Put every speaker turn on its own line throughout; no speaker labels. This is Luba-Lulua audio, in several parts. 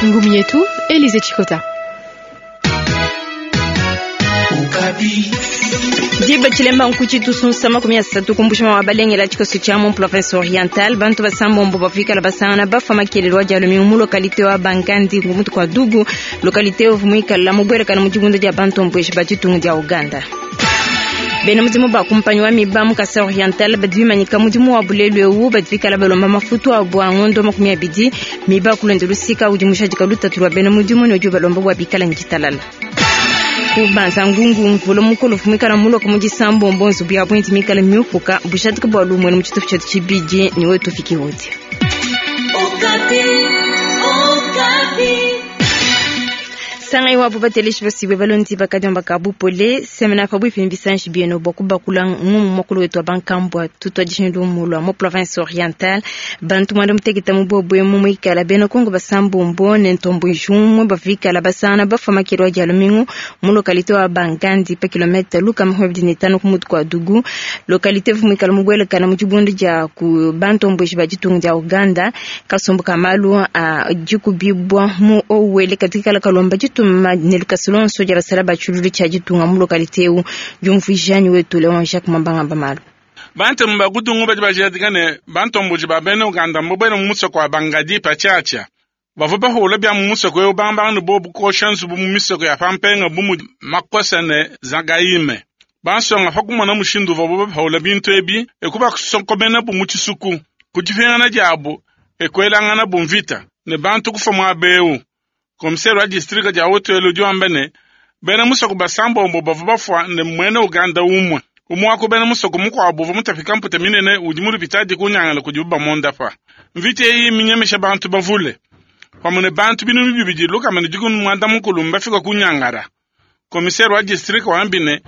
Ngumi yetu Elise Chikota.
Diba tshilemba nkuci tusunsa 30 kumbusha wa balengela tshikoso tshia mu province orientale. Bantu basambombo bafikala basangana bafa makelelo wa dia lumingu mu localité wa Bangandi ngumutu kwa Dugu, localité ovu muikala mubwelekana mu dibunda dia bantu mbweshi ba ditunga dia Uganda. Bena mudimu ba kumpanyi wa miba mu Kasai Oriental badi bimanyika mudimu wa bulelu ewu, badi bikala balomba mafutu abu a ngondo 20. Miba kulonda lusika udi mushadika lutatu lwa bena mudimu ne udi ubalomba bua bikala ne ditalala. Kubanza ngungu mvula mukolo fumikala muloka mu disambombo nzubu ya bwindi mikala miupuka bushadika bua lumwene mu tshitupa tshietu tshibidi ne wetu fiki wodi. Sangai wabu bateleshi basibwe balondi bakadiomba ka bupole semena pa bwipi bisanji bieno bua kubakula ngumu mokolo wetu wa bankambwa tutwa dishindu mulwa mu province orientale. Bantu mwanda muteketa mu bobwe mu mwikala bena Kongo basambombo ne ntombo jumwe bavikala basana bafa makelo dia lumingu mu localité wa Bangandi pa kilomètre luka 25 ku mutu kwa Dugu, localité vumwikala mubwelekana mu dibundu dia ku bantombo ba ditunga dia Uganda. Kasumbu kamalu a dikubibwa mu owele katika kalomba ditu ne lukasilonso dia basala ba tshilulu tshia ditunga mu localité eu. Diumvuija wetu Leon Jacques Mambanga Bamalu.
Bantu mbakutungu badi bajadika ne bantomboji ba bena Uganda mbobwele mu musoko wa Bangadi pa tshiatshia. Bavua bahula bia mu musoko eu bambanga ne bobu kosha nzubu mu misoko ya pampenga bu mudi Makosa ne Zagaime. Bansonga pa kumona mushindu uvuabu bahula bintu ebi ekubasokomena bu mu tshisuku. Ku dipingana diabu ekuelangana bu mvita ne bantu kufa muaba eu. Komisere wa distrika dia Haut-Uele udi wamba ne bena musoko basambombo bavua bafua ne mwene Uganda umwe. Umwe wa ku bena musoko mukuabu uvua mutapika mputa minene udi mu lupitadi kunyangala kudibu bamondapa. Mvita eyi minyemesha bantu bavule pamue ne bantu binunu bibidi lukama ne dikumi muanda mukulu mbafika kunyangara. Komisere wa distrika wambi ne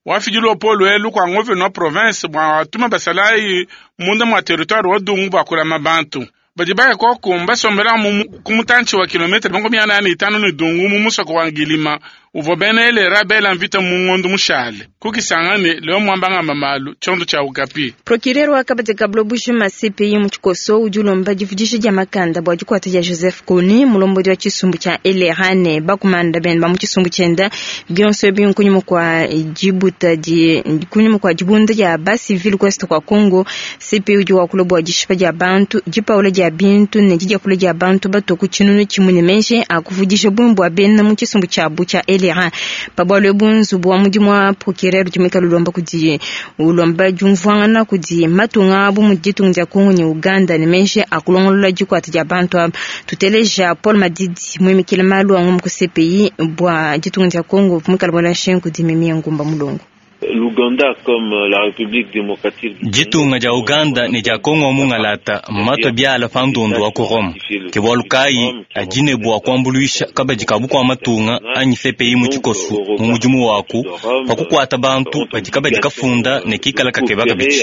wafidi luapolo elu kua ngovena wa province bua atuma basalayi munda mua territoire wa Dungu bua kulama bantu. Badi baya koku mbasombela mu ku mutantshi wa kilometre 45 ne Dungu mu musoko wa Ngilima uvua bena LRA bela mvita mu ngondo mushale. Kukisangane leo mwambangamba malu tshiondo tshia Okapi.
Procureur wa kabadi ka buloba CPI mu tshikoso udi ulomba divudisha dia makanda bua dikuata dia Joseph Kony mulombodi wa tshisumbu tshia LRA ne bakumanda bene ba mu tshisumbu tshienda bionso ebi nkunyuma kua dibuta di kunyuma kua dibunda dia ba civil ku est kua Congo. CPI udi wakula bua dishipa dia bantu, dipaula dia bintu ne didiapula dia bantu bato ku tshinunu tshimue ne menje akuvudisha bungi bua bena mu tshisumbu tshiabu tshia LRA. Pa bualu ebu nzubu wa mudimu wa procureur udi muikale ulomba kudi ulomba diumvuangana kudi matunga abu mu ditunga dia Congo ne Uganda ne menje akulongolola dikuata dia bantu aba. Tuteleja Paul Madidi muimikile malu a ngumu ku CPI bua ditunga dia Congo muikale bola nshengu kudi Mimi Ngumba Mulongo.
L'Ouganda comme la République démocratique du
Ditunga dia Uganda ne dia Kongo mungalata mmatwe biala pa ndundu wa ku Rome. Ke bualu kayi adi ne bua kuambuluisha kabadi ka bukua matunga anyi CPI mu tshikoso mu mudimu waku pa kukuata bantu badi kabadi kafunda ne kikala kakeba kabidi.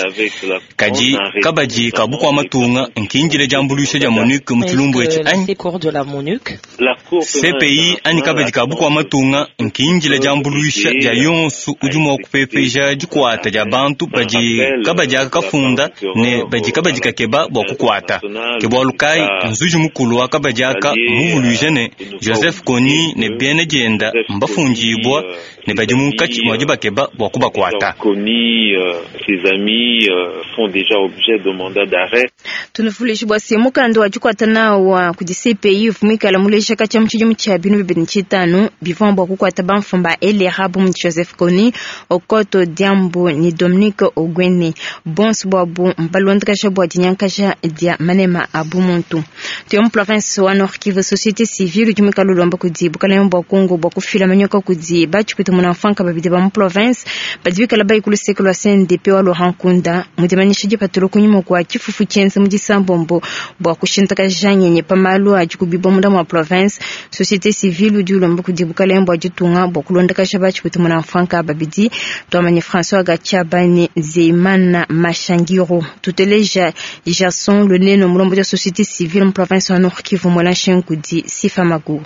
Kadi kabadi ka bukua matunga nkindile diambuluisha dia MONUC mu tshilumbu etshi anyi? CPI anyi kabadi ka bukua matunga nkindile diambuluisha dia yonso udi mua kupepeja dikuata dia bantu badi kabadi aka kafunda ne badi kabadi kakeba bua kukuata. Ke bualu kayi nzuji mukulu wa kabadi aka muvuluije ne Joseph Kony ne bena dienda mbafundibua ne badi munkatshi mua dibakeba bua kubakuata.
Kony, ses amis font déjà objet de mandat d'arrêt.
Tunufulishi bua se mukanda wa dikuata nawu wa kudi CPI uvua muleja katshia mu tshidimu tshia 2005 bivua bua kukuata bamfumu ba LRA bu mudi Joseph Kony, Okoto Diambo ne Dominique Ogwene. Bonso buabu mbalondakaja bua dinyankaja dia manema a bumuntu. Tuya mu province wa Nord Kivu, société civile udi muikale ulomba kudi bukalenge bua Congo bua kufila manyoka kudi batshipwita munamfanka babidi ba mu province badi bikala bayi ku luseke lua CNDP wa Laurent Nkunda mu dimanyisha dipatula kunyima kua tshifufu tshienza mu disambombo bua kushintakaja ngenyi pa malu adi kubibwa munda mua province. Société civile udi ulomba kudi bukalenge bua ditunga bua kulondakaja batshipwita munamfanka babidi twamanye François Gatshiaba ne Zeimana Mashangiro. Tuteleja Jason Luneno mulombo dia société civile mu province wa Nord Kivu mwela nshengu kudi Sifa Magu.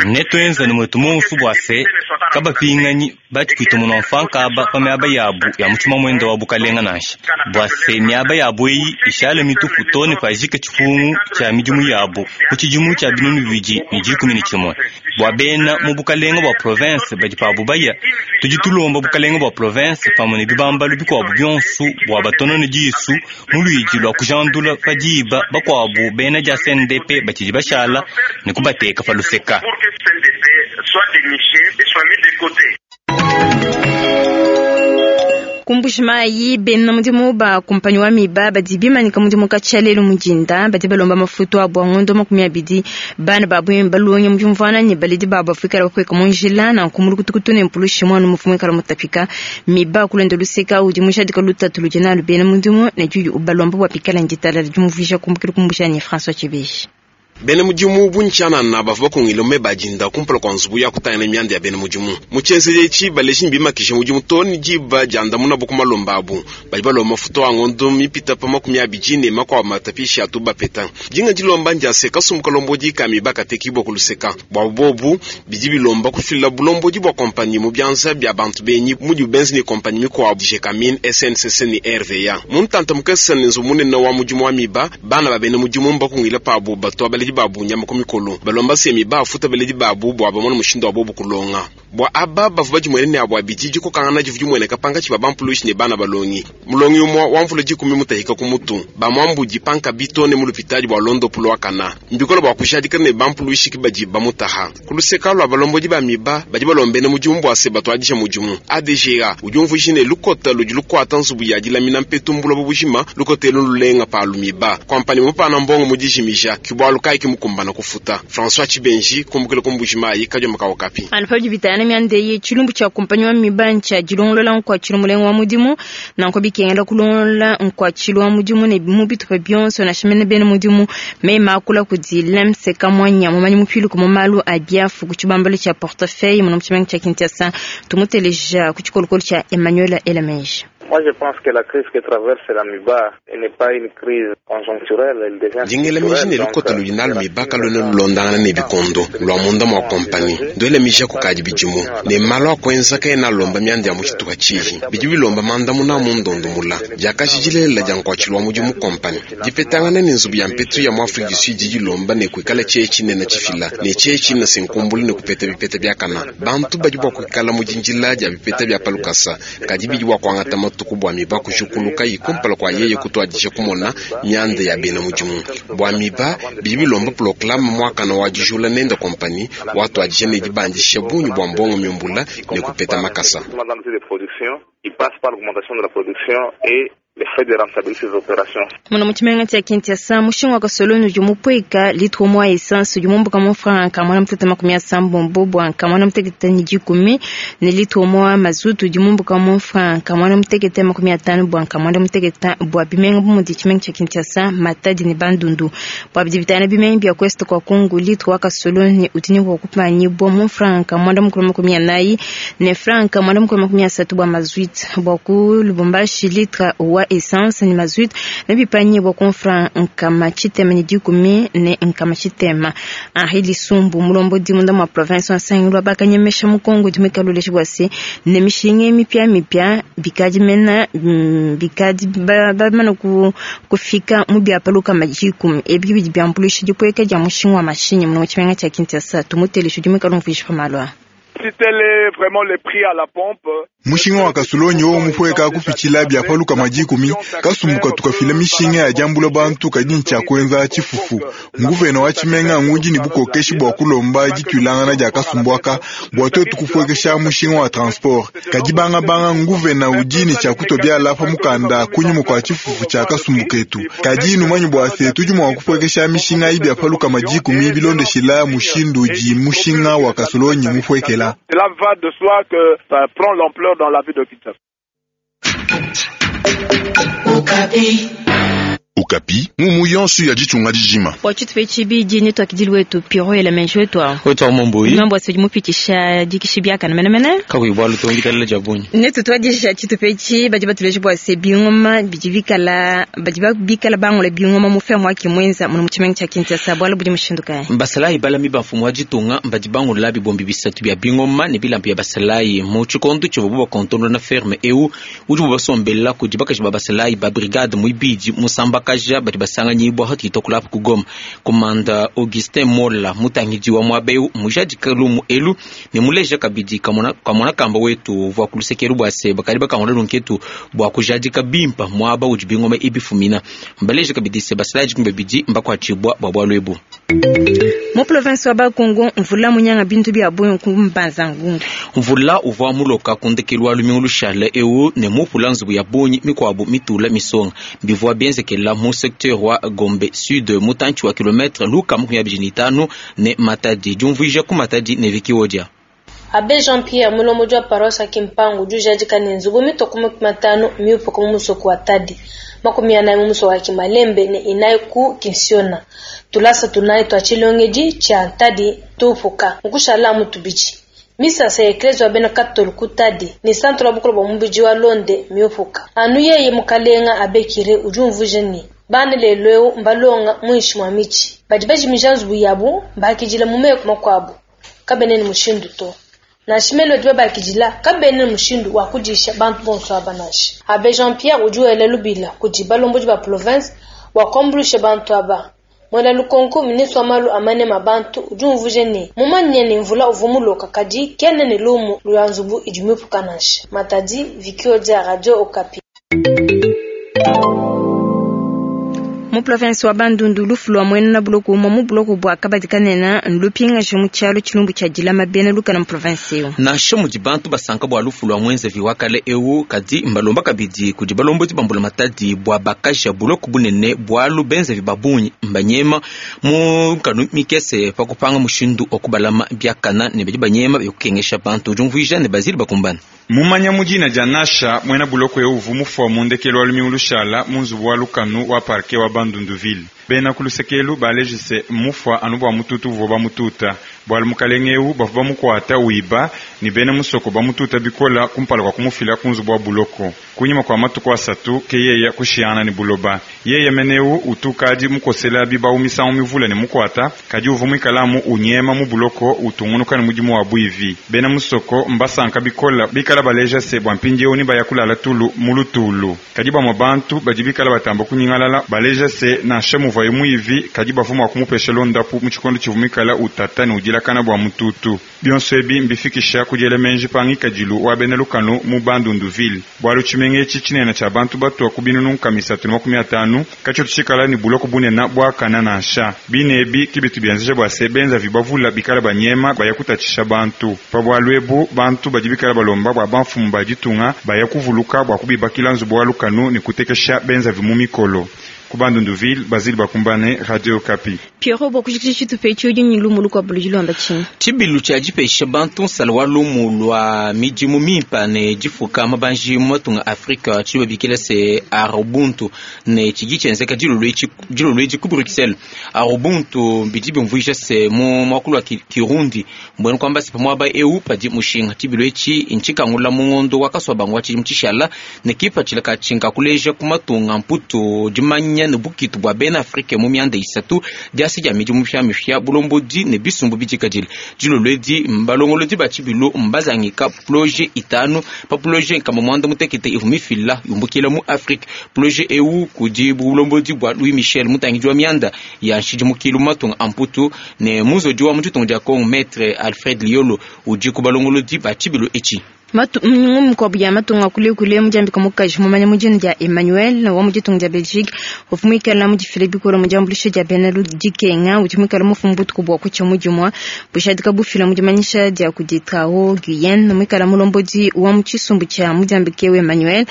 Netuenze ne muetu monso bua se kabapinganyi batshipwita munua mfa nkaba pa miaba yabu ya mu tshimamwenda wa bukalenga nansha, bua se miaba yabu eyi ishale mitupu too ne pajika tshipungu tshia midimu yabu ku tshidimu tshia 2011. Bua bena mu bukalenga bua province badi pabu baya, tudi tulomba bukalenga bua province pamue ne bibambalu bikuabu bionso bua batonone disu mu luidi lua kujandula pa diba bakuabu bena dia CNDP batshidi bashala ne kubateka pa luseka.
Ku Mbuji-Mayi, bena mudimu ba kumpanyi wa Miba badi bimanyika mudimu katshia lelu mu dinda, badi balomba mafutu abu a ngondo 20. Bana babu balonge mu diumvuana ne baledi babu bafuikala bapueka mu njila, nanku mu lukutukutu ne mpulushi muana mufu muikala mutapika. Miba kulonda luseka udi mujadika lutatu ludi nalu bena mudimu ne diyi ubalomba bua pikala nditalala diumvuija kumbukila ku Mbuji-Mayi François Tshibeji.
Bena mudimu bungi tshianana bavua bakungile mu meba a dinda kumpala kua nzubu ya kutangila mianda ya bena mudimu. Mu tshienzedi etshi, baleji ne bimakije mudimu too ne diba diandamunabu ku malomba abu. Badi balomba mafutu a ngondo mipita pa 20 ne makuabu matapishi atu bapeta. Dinga dilomba ndia se, kasumbu kalombodi ka miba katekibua ku luseka. Buabu bobu, bidi bilomba kufila bulombodi bua kompanyi mu bianza bia bantu benyi mudibu benza ne kompanyi mikuabu Gécamines, SNCC ne RVA. Mu ntanta mukese ne nzubu munene wa mudimu wa miba, bana ba bena mudimu mbakungile pabu batua baledi babu nyama ku mikolo, balomba se miba afuta baledi babu bua bamone mushindu wa bobu kulonga. Bua aba bavua badimuene ne abu abidi, dikokangana divua dimueneka pankatshi pa bampulushi ne bana balongi. Mulongi umue wa mvula 10 mutahika ku mutu, bamuambudi pankabi too ne mu lupitadi bua londopu lua kana. Mbikole bua kujadika ne bampulushi ki badi bamutaha. Ku luseka lua balombodi ba miba badi balombena mudimu bua se batuadija mudimu. ADGA udi umvuija ne lukota ludi lukuata nzubu ya dilamina mpetu mbuloba bujima, lukota elu lulenga palu miba. Kompani mupana mbongo mu dijimija, ki bualu kayi ki mukumbana kufuta. François Tshibenji, kumbukila ku Mbuji-Mayi, Kadioma ka Okapi.
Anu pabidi bitana mianda eyi, tshilumbu tshia kumpanyi wa miba ntshia dilongolola nkuatshilu mulenga wa mudimu. Nanku bikengela kulongolola nkuatshilu wa mudimu ne mu bitupa bionso nansha mene bena mudimu. Mema akula kudi Lemse Kamwanya, mumanyi mupiluke mu malu a biafu ku tshibambalu tshia portefeuille muno mu tshimenga tshia Kinshasa. Tumuteleja ku tshikolokolo tshia Emmanuel Elameji.
Moi, je pense que la crise que traverse la MIBA n'est pas une crise conjoncturelle, elle devient
Dingela miji ne lukota ludi nalu miba kaluena lulondangana ne bikondo lua munda mua kompani nduele miji ya kukadi bidimu ne malu a kuenza kaena alomba mianda ya mu tshitupa tshihi bidi bilomba mandamuna a mu ndondomula diakaji dilelela dia nkuatshilu wa mudimu kompani dipetangana ne nzubu ya mpetu ya mu Afrique du Sud didi dilomba ne kuikala tshie tshinene tshifila ne tshie tshina senkumbula ne kupeta bipeta biakana bantu badi bua kuikala mu dindila dia bipeta bia palukasa kadi bidi bua kuangata matuku bua miba kujukuluka kumpala kua yeye kutuadija kumona mianda ya bena mudimu bua miba bidi bilomba proclame mwakana wa dijula nenda kompani watuadija ne dibandisha bungi bua mbongo miumbula ne kupeta makasa.
Muna mu tshimenga tshia Kinshasa, mushinga wa kasoloni udi mupueka litre umue wa essence udi mumbuka mu franc 880 bua 810 ne litre umue wa mazutu udi mumbuka mu franc 850 bua 9 bua bimenga bu mudi tshimenga tshia Kinshasa, Matadi ne Bandundu. Bua bidi bitana bimenga bia Ouest kwa Kongo, litre wa kasoloni udi ne bua kupanyibua mu franc 940 ne franc 930 bua mazutu. Bua ku Lubumbashi, litre wa essence ne mazutu ne bipanyibua ku franc 610 ne 600. Henri Lisumbu mulombodi munda mua province wa Sangilu wa bakanyemesha mu Kongo udi muikale bua se ne mishinga mipya mipya bikadi mena bikadi bamana kufika mu biapaluka majiku ebi bidi biambulisha dipueka dia mushinga wa mashinyi mu tshimenga tshia Kinshasa. Tumuteleje udi muikale umvuija pa malu aa.
Si tel est vraiment le prix à la pompe,
mushinga wa kasulonyi wo mupueka kupitshila biapaluka majikumi kasumbuka tukafila mishinga ya diambula bantu kadi ntshia kuenza tshifufu. Nguvena wa tshimenga ngudi ne bukokeshi bua kulomba dituilangana dia kasumbuaka bua tuetu kupuekesha mushinga wa transport. Kadi bangabanga nguvena udi ne tshia kutua biala pa mukanda kunyima kua tshifufu tshia kasumbu ketu. Kadi numanyi bua se tudi mua kupuekesha mishinga ayi biapaluka majikumi bilondeshila mushindu udi mushinga wa kasulonyi mupuekela.
Cela va de soi que ça prend l'ampleur dans la ville de Kinshasa.
Okapi ngumu yonso ya ditunga dijima.
Bua tshitupa tshibidi ne tuakidili wetu Piro Elemenji wetu awu.
Wetu awu Momboyi.
Mambo asidi mupitisha dikishi biakana menemene.
Kakuyi bualu to ngitalela dia bungi.
Ne tutuadija tshitupa etshi badi batuleja bua se bingoma bidi bikala badi bikala bangula bingoma mu ferme wa Kimwenza muno mu tshimenga tshia Kinshasa bualu budi mushindu kayi?
Basalayi balami ba mfumu wa ditunga mbadi bangula bibombi bisatu bia bingoma ne bilamba bia basalayi mu tshikondo tshivuabu bakontonona ferme eu udibu basombela kudi bakaji ba basalayi ba brigade muibidi musambakaja badi basanganyibua hatudi tuakula apa ku Goma. Komanda Augustin Mola mutangidi wa muaba eu mujadika lumu elu ne muleja kabidi kamona kamona kamba wetu uvua ku luseke elu bua se bakadi bakangula lunketu bua kujadika bimpa muaba udi bingoma ebi bifumina. Mbaleja kabidi se basalayi dikumi babidi mbakuatshibua bua bualu ebu.
Mu province wa Bakongo, mvula munyanga bintu bia bungi ku Mbanza Ngungu.
Mvula uvua muloka ku ndekelu wa lumingu lushale eu ne mupula nzubu ya bungi mikuabu mitula misonga. Bivua bienzekela mu secteur wa Gombe Sud mutantshi wa kilometre lukama makumi abidi ne itanu ne Matadi. Diumvuija ku Matadi ne Vicky Odia.
Abbe Jean Pierre, mulombodi wa paroisse wa Kimpangu, udi ujadika ne nzubu mitue ku makumi atanu miupuka mu musoko wa Tadi, 40 mu musoko wa Kimalembe ne inayi ku Kinsiona. Tulasa tunayi tua tshilongedi tshia Ntadi tuupuka, nkushala amu tubidi. Misasa ya ekleziya wa bena Katolu ku Tadi ne santre wa bukole bua mubidi wa Londe miupuka. Anu yeye mukalenga Abbe Cure udi umvuija ne, Bana lelu eu mbalonga muinshi mua mitshi. Badi bajimija nzubu yabu mbakidila mu meku makuabu. Kabena ne mushindu to. Nansha mene badi babakidila kabena ne mushindu wa kudisha bantu bonso aba nansha. Abbe Jean Pierre udi wela lubila kudi balombodi ba province bua kuambuluisha bantu aba. Muena lukonko, ministre wa malu a manema a bantu udi umvuija ne, mumanye ne mvula uvua muloka kadi kena ne lumu lua nzubu idi miupuka nansha. Matadi, Vicky Odia, Radio Okapi.
Mu province wa Bandundu, lufu lua muena buloko umue mu buloko bua kabadi kanene ndupingaje mu tshialu tshilumbu tshia dilama bena lukanu mu province eu.
Nansha mudi bantu basanka bua lufu lua muenzevi wa kale eu, kadi mbalomba kabidi kudi balombodi ba mbulamatadi bua bakaja buloko bunene, bualu benzevi ba bungi mbanyema mu nkanu mikese pa kupanga mushindu wa kubalama biakana ne badi banyema bia kukengesha bantu. Diumvuija ne Basile Bakumbane.
Mumanya mu dina dia Nasha, muena buloko eu uvua mufua mu ndekelu wa lumingu lushala mu nzubu wa lukanu wa parquet wa Bandunduville. Bena ku luseke elu baleji se, mmufua anu bua mututu uvua bamututa, bualu mukalenge eu bavua bamukuata wiba ne bena musoko bamututa bikola kumpala kua kumufila ku nzubu wa buloko. Kunyima kua matuku asatu ke yeya kushiyangana ne buloba. Yeya mene eu utu ukadi mukosela bibawu misangu mivule ne mukuata, kadi uvua muikala amu unyema mu buloko utungunuka ne mudimu wa buivi. Bena musoko mbasanka bikola bikala baleja se bua mpindieu ne baya kulala tulu mu lutulu. Kadi bamue bantu badi bikala batamba kunyingalala baleja se nansha muvuaye muivi kadi bavua mua kumupesha londapu mu tshikondo tshivua muikala utata ne udilakana bua mututu. Bionso ebi mbifikisha ku diela meji pa ngikadilu wa bena lukanu mu Bandundu-ville, bualu tshimenga etshi tshinene tshia bantu batua ku binunu nkama isatu ne makumi atanu katshitu tshikala ne buloko bunene buakana nansha. Bine ebi ke bitu bienzeja bua se, benzavi bavule bikale banyema baya kutatshisha bantu. Pa bualu ebu, bantu badi bikale balomba bua bamfumu ba ditunga baya kuvuluka bua kubibakila nzubu wa lukanu ne kutekesha benzavi mu mikolo. Ku Bandundu-ville, Basile Bakumbane, Radio Okapi.
Pierrot, bua kujikija tshitupa etshi, udi ne lumu lukuabu ludi luamba tshinyi?
Tshibilu tshia dipesha bantu nsala wa lumu lua midimu mimpa ne difuka mabanji mu matunga a Afrika tshidi babikila se Arubuntu ne tshidi tshienzeka dilolo edi ku Bruxelles. Arubuntu bidi biumvuija se mu muakulu wa Kirundi, mbuena kuamba se pa muaba eu padi mushinga. Tshibilu etshi ntshikangula mu ngondo wa Kasuabanga wa tshidimu tshishala ne kipatshila katshi nka kuleja ku matunga mputu dimanya ne bukitu bua bena Afrike mu mianda isatu, diasa dia midimu mipiamipia, bulombodi ne bisumbu bidikadile. Dilolo edi balongolodi ba tshibilu mbazangika proje itanu pa proje nkama muanda mutekete ivua mifila yumbukila mu Afrike. Proje eu kudi bulombodi bua Louis Michel, mutangidi wa mianda ya nshidimukilu mu matunga a mputu ne muzodi wa mu ditunga dia Congo, Maitre Alfred Liolo udi ku balongolodi ba tshibilu etshi.
Ngumu mikuabu ya matunga kulekule mudiambika mukaji mumanya mu dina dia Emmanuel wa mu ditunga dia Belgique uvua muikala mudifile bikole mu diambuluisha dia bena dikenga udi muikala mufumu butuku bua kutshia mudimua bujadika bufila mu dimanyisha dia kudi Trao Guyenne muikala mulombodi wa mu tshisumbu tshia mudiambike Emmanuel.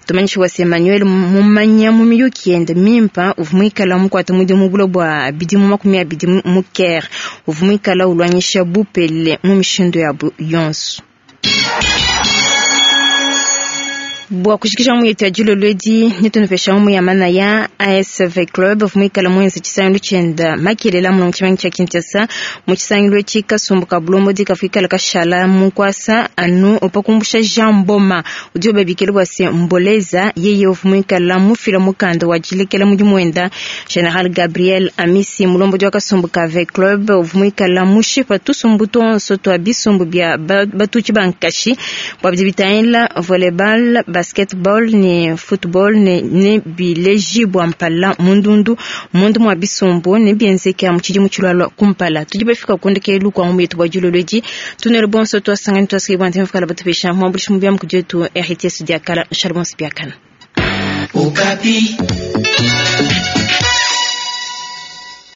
Tumanyisha bua se Emmanuel mumanya mu miyuki yende mimpa uvua muikala mukuate mudimu bule bua bidimu 20 mu Caire uvua muikala uluanyisha bupele mu mishindu yabu yonso. Bua kushikisha mu yetu ya dilolo edi netunupesha mu ya manaya ASV Club muikala muenze tshisangilu tshienda makelela muno mu tshimenga tshia Kinshasa. Mu tshisangilu etshi kasumbu ka bulombodi kafuikala kashala mu nkuasa anu pa kumbusha Jean Mboma udibo babikila bua se Mboleza yeye uvua muikala mufila mukanda wa dilekela mudimu wenda. General Gabriel Amisi mulombodi wa kasumbu ka V Club uvua muikala mushipa tusumbu tuonso tua bisumbu bia batutshi ba nkashi bua bidi bitangila volleyball, basketball ne football ne, ne bilejibua mpala mundundu mundu mua bisumbu ne bienzeka mu tshidimu tshilualua kumpala. Tudi bafika ku ndekelu kua ngumu yetu bua dilolo edi. Tunele bonso tuasangani tuasiki bua ntema fikala batupesha muambulishi mu biamu kudietu RTS diakala. Shalom biakana.
Okapi.